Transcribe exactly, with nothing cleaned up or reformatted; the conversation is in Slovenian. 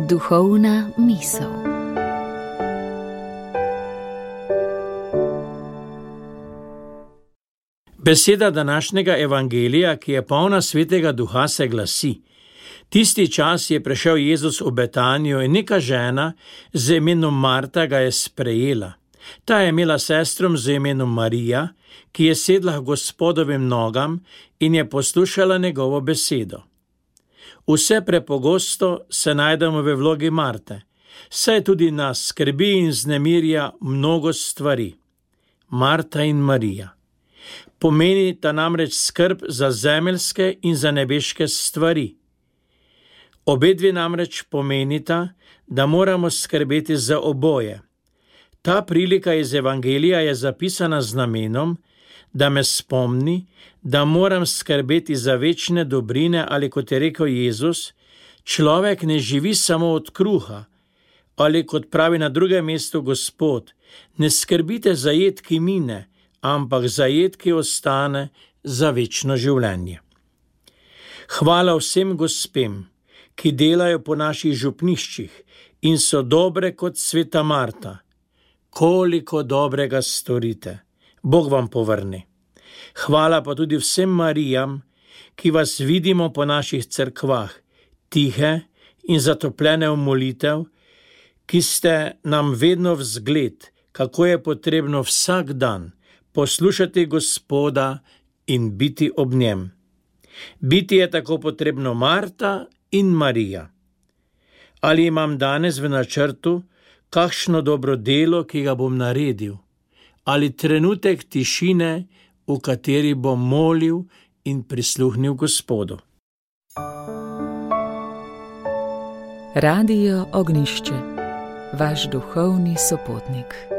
Duhovna misel. Beseda današnjega evangelija, ki je polna svetega duha, se glasi: tisti čas je prišel Jezus v Betanijo in neka žena z imenom Marta ga je sprejela. Ta je imela sestrom z imenom Marija, ki je sedla k Gospodovim nogam in je poslušala njegovo besedo. Vse prepogosto se najdemo v vlogi Marte, saj tudi nas skrbi in vznemirja mnogo stvari. Marta in Marija pomenita namreč skrb za zemeljske in za nebeške stvari. Obedve namreč pomenita, da moramo skrbeti za oboje. Ta prilika iz evangelija je zapisana z namenom, da me spomni, da moram skrbeti za večne dobrine, ali kot je rekel Jezus, človek ne živi samo od kruha, ali kot pravi na drugem mestu Gospod, ne skrbite za jed, ki mine, ampak za jed, ki ostane za večno življenje. Hvala vsem gospem, ki delajo po naših župniščih in so dobre kot sveta Marta. Koliko dobrega storite, Bog vam povrne. Hvala pa tudi vsem Marijam, ki vas vidimo po naših cerkvah, tihe in zatopljene v molitev, ki ste nam vedno vzgled, kako je potrebno vsak dan poslušati Gospoda in biti ob njem. Biti je tako potrebno Marta in Marija. Ali imam danes v načrtu kakšno dobro delo, ki ga bom naredil, ali trenutek tišine, v kateri bom molil in prisluhnil Gospodu. Radio Ognjišče, vaš duhovni sopotnik.